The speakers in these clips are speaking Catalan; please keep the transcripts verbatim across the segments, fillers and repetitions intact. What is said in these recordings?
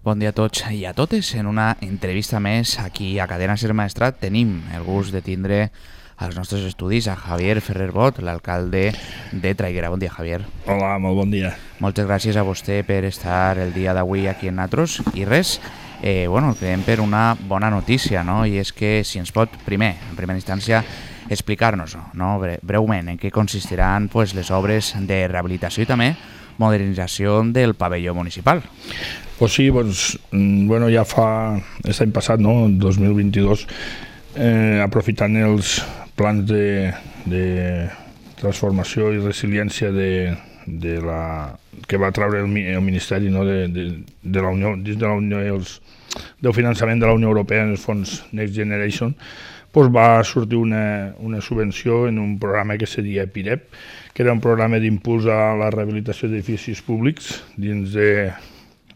Bon dia a tots i a totes. En una entrevista més aquí a Cadena Ser Maestrat tenim el gust de tindre als nostres estudis a Javier Ferrer Bot, l'alcalde de Traiguera. Bon dia, Javier. Hola, molt bon dia. Moltes gràcies a vostè per estar el dia d'avui aquí en Natros. I res, eh, bueno, creiem per una bona notícia, no? I és que si ens pot, primer, en primera instància, explicar-nos, no? breument, en què consistiran pues, les obres de rehabilitació i també modernització del pavelló municipal. Pues sí, pues, bueno, ja fa l'any passat, no, el dos mil vint-i-dos, eh, aprofitant els plans de, de transformació i resiliència de, de la, que va treure el, el Ministeri, no, de, de, de la Unió, dins de la Unió, els, del finançament de la Unió Europea en els fons Next Generation, pues va sortir una, una subvenció en un programa que se deia PIREP, que era un programa d'impuls a la rehabilitació d'edificis públics dins de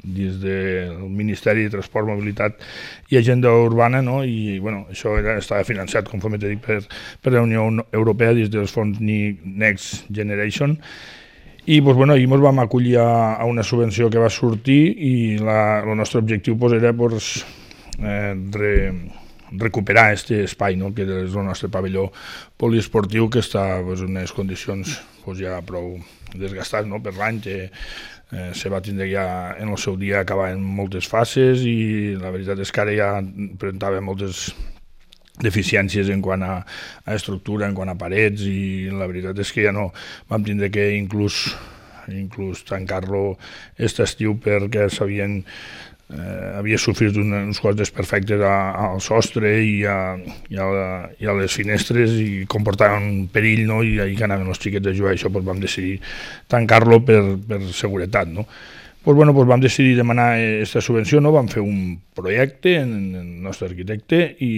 dins del Ministeri de Transport, Mobilitat i Agenda Urbana, no? I bueno, això era, estava finançat, conforme t'he dit, per, per la Unió Europea dins dels fons Next Generation. I pues, bueno, ahir ens vam acollir a, a una subvenció que va sortir i la, el nostre objectiu pues, era pues, eh, re, recuperar aquest espai, no? Que és el nostre pavelló poliesportiu, que està pues, en unes condicions pues, ja prou desgastats, no? Per l'any, que eh, se va tindre ja en el seu dia acabar en moltes fases i la veritat és que ara ja presentava moltes deficiències en quant a, a estructura, en quant a parets, i la veritat és que ja no vam tindre que inclús, inclús tancar-lo aquest estiu perquè s'havien Eh, havia sofrit un, uns quants desperfectes a, al sostre i a, i, a la, i a les finestres i comportaven un perill, no? I ahir que anaven els xiquets a jugar, això pues, vam decidir tancar-lo per, per seguretat, no? Pues, bueno, pues, vam decidir demanar aquesta subvenció, no? Vam fer un projecte en, en el nostre arquitecte i,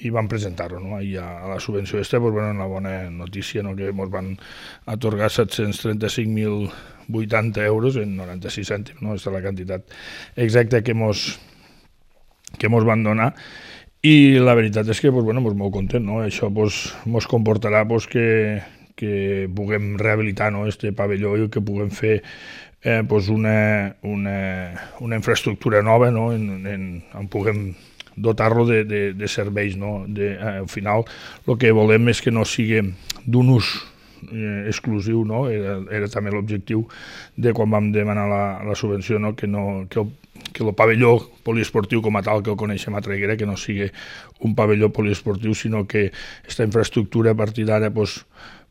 i vam presentar-ho, no? I a, a la subvenció aquesta, pues, bueno, una bona notícia, no? Que ens van atorgar set-cents trenta-cinc mil vuitanta euros en noranta-sis cèntims, no? Aquesta és la quantitat exacta que mos, que mos van donar, i la veritat és que pues, bueno, pues, molt content, no? Això pues, mos comportarà pues, que, que puguem rehabilitar, no? Este pavelló i que puguem fer eh, pues, una, una, una infraestructura nova, no? en, en, en puguem dotar-lo de, de, de serveis, no? De, eh, al final el que volem és que no sigui d'un ús Eh, exclusiu, no? Era, era també l'objectiu de quan vam demanar la, la subvenció, no? Que, no, que, el, que el pavelló poliesportiu com a tal que el coneixem a Traiguera, que no sigui un pavelló poliesportiu, sinó que aquesta infraestructura a partir d'ara pues,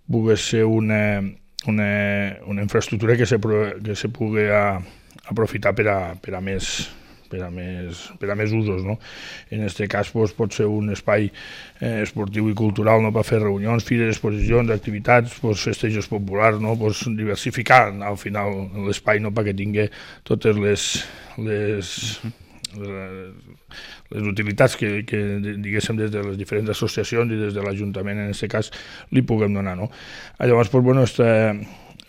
pugui ser una, una, una infraestructura que se, que se pugui a, aprofitar per a, per a més per a més, per a més usos, no? En aquest cas pues, pot ser un espai eh, esportiu i cultural, no? Per fer reunions, fires, exposicions, activitats, pues, festejos populars, no? Pues, diversificar al final l'espai, no? Perquè tingui totes les, les, les, les utilitats que, que diguéssim des de les diferents associacions i des de l'Ajuntament en aquest cas li puguem donar, no? Llavors, pues, bueno, esta,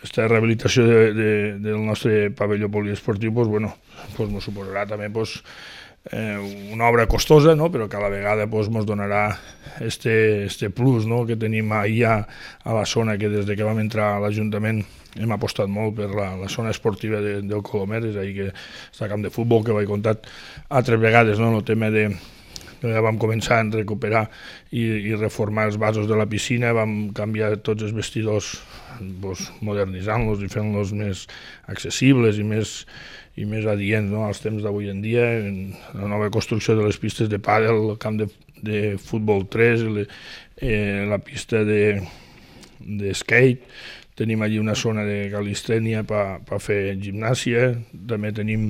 Aquesta rehabilitació de, de, del nostre pavelló poliesportiu pues, bueno, pues, ens suposarà també pues, eh, una obra costosa, no? Però que a la vegada pues, ens donarà este, este plus, no? Que tenim allà a la zona, que des de que vam entrar a l'Ajuntament hem apostat molt per la, la zona esportiva de, del Colomer, és ahir que està camp de futbol, que ho he contat altres vegades, no? El tema de ja vam començar a recuperar i, i reformar els vasos de la piscina, vam canviar tots els vestidors pues, modernitzant-los i fent-los més accessibles i més, i més adients, no? Als temps d'avui en dia, en la nova construcció de les pistes de pàdel, el camp de, de futbol tres, le, eh, la pista de, de skate, tenim allí una zona de calistènia per pa fer gimnàsia, també tenim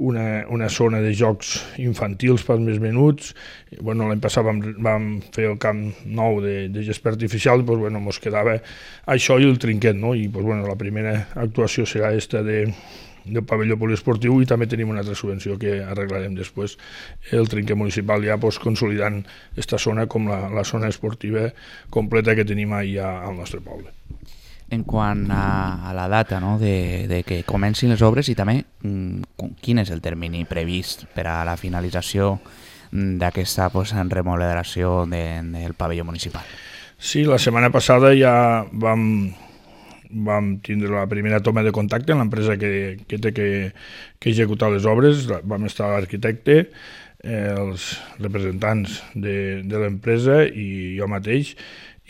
una, una zona de jocs infantils pels més menuts. Bueno, l'any passat vam, vam fer el camp nou de, de gespa artificial i pues, bueno, ens quedava això i el trinquet, no? I pues, bueno, la primera actuació serà aquesta de, del pavelló poliesportiu i també tenim una altra subvenció que arreglarem després, el trinquet municipal, ja pues, consolidant aquesta zona com la, la zona esportiva completa que tenim allà al nostre poble. En quant a, a la data, no? de, de que comencin les obres i també mm, quin és el termini previst per a la finalització d'aquesta pues, remodelació de, del pavelló municipal? Sí, la setmana passada ja vam, vam tindre la primera toma de contacte amb l'empresa que, que té que, que executar les obres. Vam estar l'arquitecte, eh, els representants de, de l'empresa i jo mateix,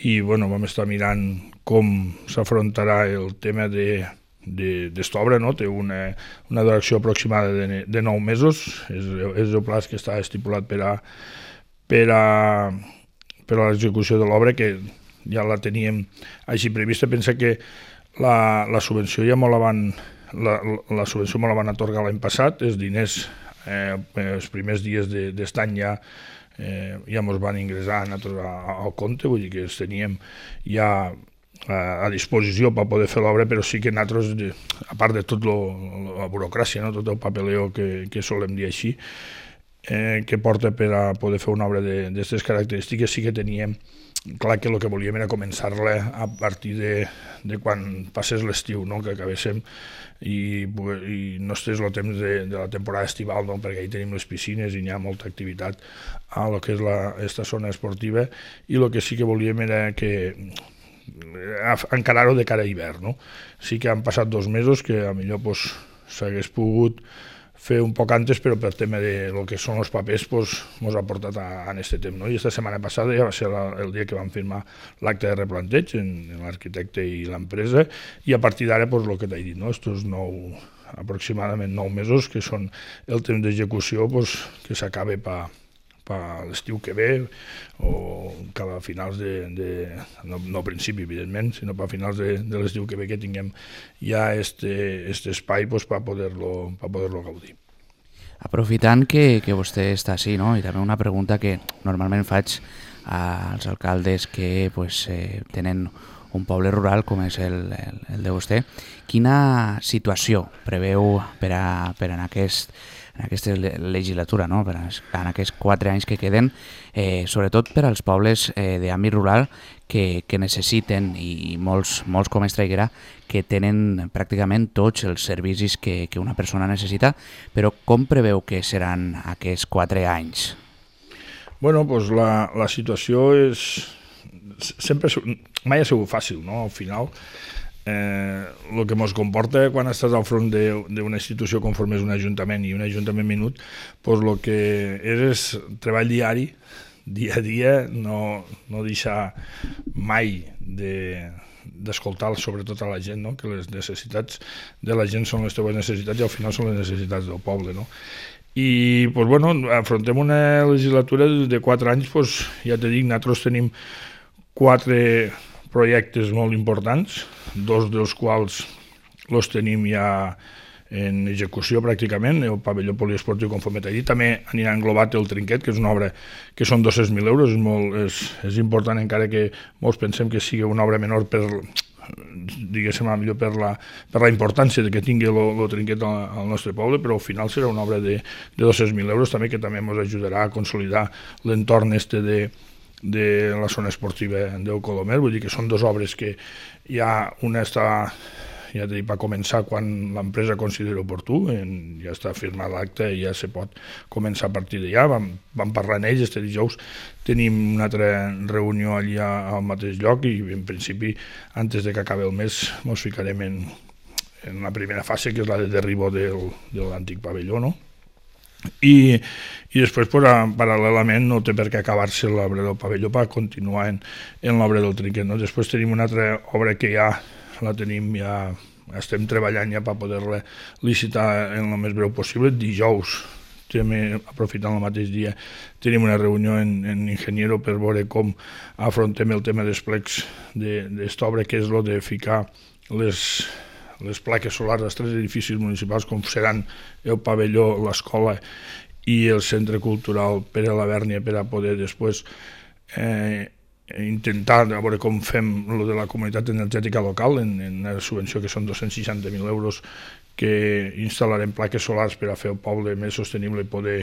i bueno, vam estar mirant com s'afrontarà el tema de d'esta obra, no? Té una, una duració aproximada de, de nou mesos, és, és el pla que està estipulat per a, per a, per a l'execució de l'obra, que ja la teníem així prevista. Pensa que la, la subvenció ja me la van la, la subvenció me la van atorgar l'any passat, els diners eh, els primers dies d'aquest any ja eh, ja ens van ingressar al compte, vull dir que els teníem ja a disposició per poder fer l'obra, però sí que nosaltres, a part de tot la burocràcia, no? Tot el papeleo que, que solem dir així, eh, que porta per a poder fer una obra d'aquestes característiques, sí que teníem clar que el que volíem era començar-la a partir de, de quan passés l'estiu, no? Que acabéssim i, i no estés el temps de, de la temporada estival, no? Perquè ahí tenim les piscines i hi ha molta activitat a lo que és la, esta zona esportiva, i el que sí que volíem era que encarar-ho de cara a hivern, no? Sí que han passat dos mesos que a millor pues, s'hagués pogut fer un poc antes, però per tema de lo que són els papers pues, mos ha portat a, a este temps, no? I esta setmana passada ja va ser la, el dia que vam firmar l'acte de replanteig en, en l'arquitecte i l'empresa, i a partir d'ara pues, el que t'he dit, no? Estos nou, aproximadament nou mesos, que són el temps d'execució pues, que s'acabe per a l'estiu que ve, o cap a finals de, de no, no a principi evidentment, sinó per a finals de, de l'estiu que ve, que tinguem ja este, este espai pues, per poder-lo per poder-lo gaudir. Aprofitant que, que vostè està així, no? I també una pregunta que normalment faig als alcaldes que pues, eh, tenen un poble rural com és el, el, el de vostè, quina situació preveu per, a, per en aquest en aquesta legislatura, no? Per en aquests quatre anys que queden, eh, sobretot per als pobles eh, d'àmbit rural que, que necessiten, i molts, molts com Estraiguera, que tenen pràcticament tots els servicis que, que una persona necessita, però com preveu que seran aquests quatre anys? Bueno, doncs la, la situació és... sempre mai ha sigut fàcil, no? Al final, Eh, el que ens comporta quan estàs al front d'una institució conforme és un ajuntament i un ajuntament minut, doncs el que és és treball diari, dia a dia, no, no deixar mai de d'escoltar sobretot a la gent, no? Que les necessitats de la gent són les teves necessitats i al final són les necessitats del poble, no? I doncs, bueno, afrontem una legislatura de quatre anys, doncs, ja t'he dit, nosaltres tenim quatre projectes molt importants, dos dels quals els tenim ja en execució pràcticament, el pavelló poliesportiu conforme t'he dit, també anirà englobat el trinquet, que és una obra que són dos-cents mil euros, és, molt, és, és important, encara que molts pensem que sigui una obra menor per, diguéssim, millor per la, per la importància que tingui el trinquet al, al nostre poble, però al final serà una obra de, de dos-cents mil euros també, que també ens ajudarà a consolidar l'entorn este de de la zona esportiva del Colomer, vull dir que són dues obres que ja una està, ja t'he dit, per començar quan l'empresa considera oportú, en, ja està firmat l'acte i ja se pot començar a partir d'allà. Vam, vam parlar en ells, este dijous tenim una altra reunió allà al mateix lloc i en principi, antes de que acabi el mes, ens ficarem en, en la primera fase, que és la de derribo del, de l'antic pavelló, no? I, i després, pues, paral·lelament, no té per què acabar-se l'obra del pavelló per continuar en, en l'obra del trinquet, no? Després tenim una altra obra que ja la tenim, ja estem treballant ja per poder-la licitar en el més breu possible. Dijous, també aprofitant el mateix dia, tenim una reunió en, en Ingeniero per veure com afrontem el tema dels plecs d'aquesta obra, que és el de ficar les... les plaques solars dels tres edificis municipals, com seran el pavelló, l'escola i el centre cultural per a la Bèrnia, per a poder després eh, intentar a veure com fem lo de la comunitat energètica local, en, en una subvenció que són dos-cents seixanta mil euros, que instal·larem plaques solars per a fer el poble més sostenible i poder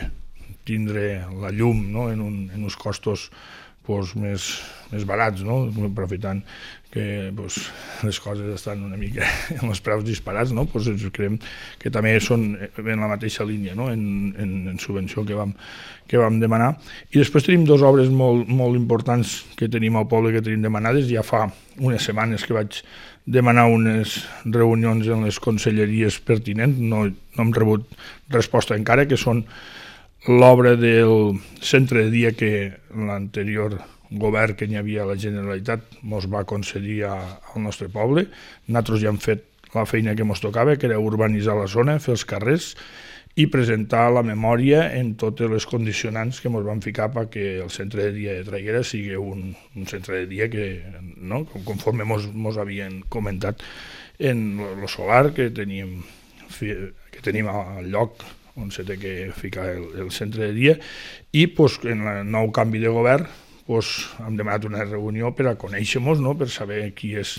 tindre la llum, no? en, un, en uns costos pues, més, més barats, no? Aprofitant que pues, les coses estan una mica en els preus disparats, no? Pues, ens creiem que també són en la mateixa línia, no? en, en, en subvenció que vam, que vam demanar. I després tenim dues obres molt, molt importants que tenim al poble, que tenim demanades. Ja fa unes setmanes que vaig demanar unes reunions en les conselleries pertinents, no, no hem rebut resposta encara, que són l'obra del centre de dia que l'anterior govern que n'hi havia a la Generalitat ens va concedir al nostre poble. Nosaltres ja hem fet la feina que ens tocava, que era urbanitzar la zona, fer els carrers i presentar la memòria en totes les condicionants que ens van ficar perquè el centre de dia de Traiguera sigui un, un centre de dia que, no, conforme ens havien comentat en el solar que teníem, que tenim al lloc on s'ha de ficar el, el centre de dia, i pues, en el nou canvi de govern pues, hem demanat una reunió per a conèixer-nos, no? Per saber qui és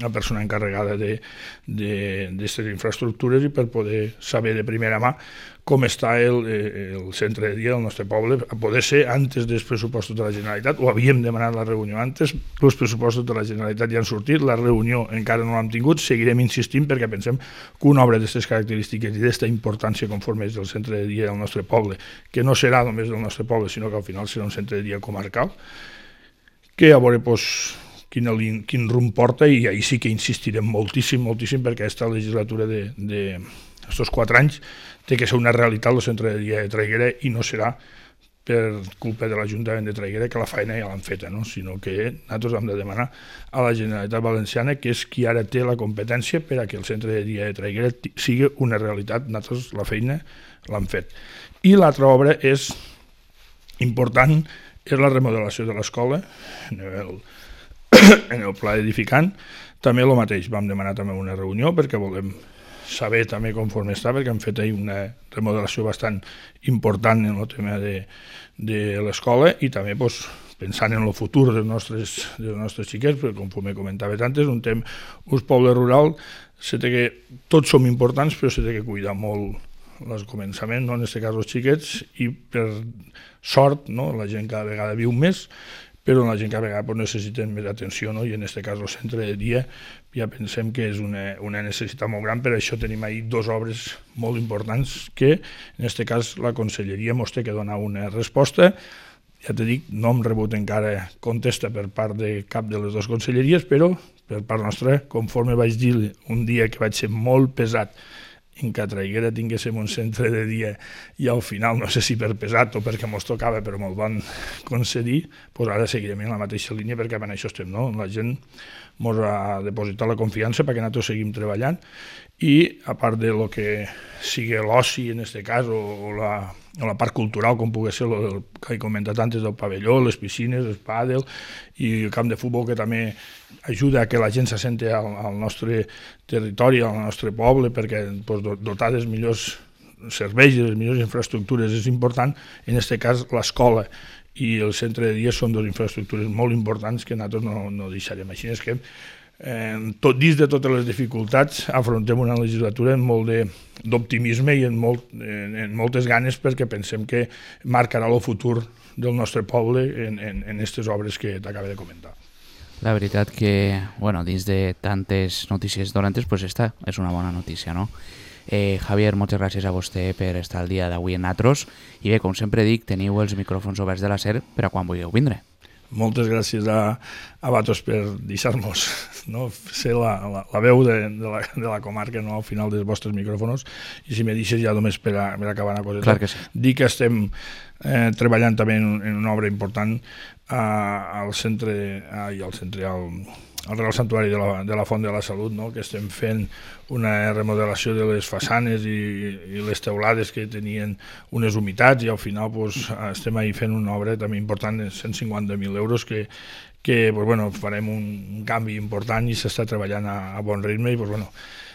la persona encarregada d'aquestes infraestructures i per poder saber de primera mà com està el, el centre de dia del nostre poble, a poder ser antes dels pressupostos de la Generalitat, o havíem demanat la reunió antes, els pressupostos de la Generalitat ja han sortit, la reunió encara no l'hem tingut, seguirem insistint perquè pensem que una obra d'aquestes característiques i d'aquesta importància conforme és del centre de dia del nostre poble, que no serà només del nostre poble, sinó que al final serà un centre de dia comarcal, que a veure, doncs, Quin, quin rumb porta, i ahir sí que insistirem moltíssim, moltíssim, perquè aquesta legislatura d'estos quatre anys té que ser una realitat el centre de dia de Traiguera i no serà per culpa de l'Ajuntament de Traiguera, que la feina ja l'han feta, no? Sinó que nosaltres hem de demanar a la Generalitat Valenciana, que és qui ara té la competència per a que el centre de dia de Traiguera sigui una realitat. Nosaltres la feina l'hem fet. I l'altra obra és important, és la remodelació de l'escola, en el en el pla edificant. També el mateix, vam demanar també una reunió perquè volem saber també conforme està, perquè hem fet ahir una remodelació bastant important en el tema de, de l'escola i també doncs, pensant en el futur dels nostres, dels nostres xiquets, perquè com me comentava antes, un temps, un poble rural, se té que, tots som importants, però se té que cuidar molt el començament, no? En aquest cas els xiquets, i per sort, no? La gent cada vegada viu més, però la gent cada vegada pues, necessita més atenció, no? I en aquest cas el centre de dia ja pensem que és una, una necessitat molt gran, per això tenim ahir dues obres molt importants que en aquest cas la conselleria ens té que donar una resposta. Ja t'he dit, no hem rebut encara contesta per part de cap de les dues conselleries, però per part nostra, conforme vaig dir un dia que vaig ser molt pesat en que a Traiguera tinguéssim un centre de dia i al final, no sé si per pesat o perquè mos tocava, però me'l van concedir, doncs ara seguirem en la mateixa línia perquè en això estem, no? La gent mos ha depositat la confiança perquè nosaltres seguim treballant i a part de lo que sigui l'oci en aquest cas o, o, la, o la part cultural com pugui ser el que he comentat antes del pavelló, les piscines, el pàdel i el camp de futbol que també ajuda a que la gent se senti al, al nostre territori, al nostre poble, perquè pues, dotar dels millors serveis i les millors infraestructures és important. En aquest cas l'escola i el centre de dia són dues infraestructures molt importants que nosaltres no, no deixarem. Així és que eh, tot, dins de totes les dificultats afrontem una legislatura amb molt d'optimisme i en, molt, en, en moltes ganes perquè pensem que marcarà el futur del nostre poble en aquestes obres que t'acabo de comentar. La veritat que, bueno, dins de tantes notícies dolentes, pues esta és una bona notícia, no? Eh, Javier, moltes gràcies a vostè per estar el dia d'avui en Natros i bé, com sempre dic, teniu els micròfons oberts de la SER per a quan vulgueu vindre. Moltes gràcies a, a Vatos per deixar-nos, no, ser la, la, la veu de, de, la, de la comarca, no, al final dels vostres micròfons, i si me deixes ja només per, a, per acabar una cosa. Clar que sí. Dir que estem eh, treballant també en, en una obra important eh, al centre, ai, al centre, al, al Real Santuari de la, de la Font de la Salut, no? Que estem fent una remodelació de les façanes i, i les teulades que tenien unes humitats i al final pues, estem ahí fent una obra també important de cent cinquanta mil euros que, que pues, bueno, farem un, un canvi important i s'està treballant a, a bon ritme i pues, bueno,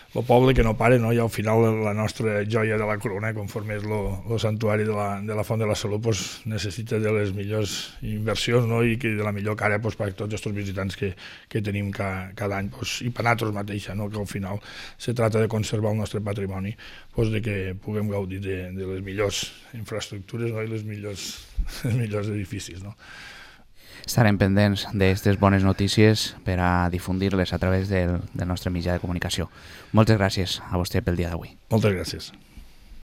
el poble que no pare, no? I al final la nostra joia de la corona, conforme és el santuari de la, de la Font de la Salut, pues, necessita de les millors inversions, no? I que de la millor cara pues, per a tots aquests visitants que, que tenim cada, cada any, pues, i per nosaltres mateixa, no? Que al final se trata de conservar el nostre patrimoni, pues, de que puguem gaudir de, de les millors infraestructures, no? I les millors, els millors edificis. No? Estarem pendents d'aquestes bones notícies per a difundir-les a través del, del nostre mitjà de comunicació. Moltes gràcies a vostè pel dia d'avui. Moltes gràcies.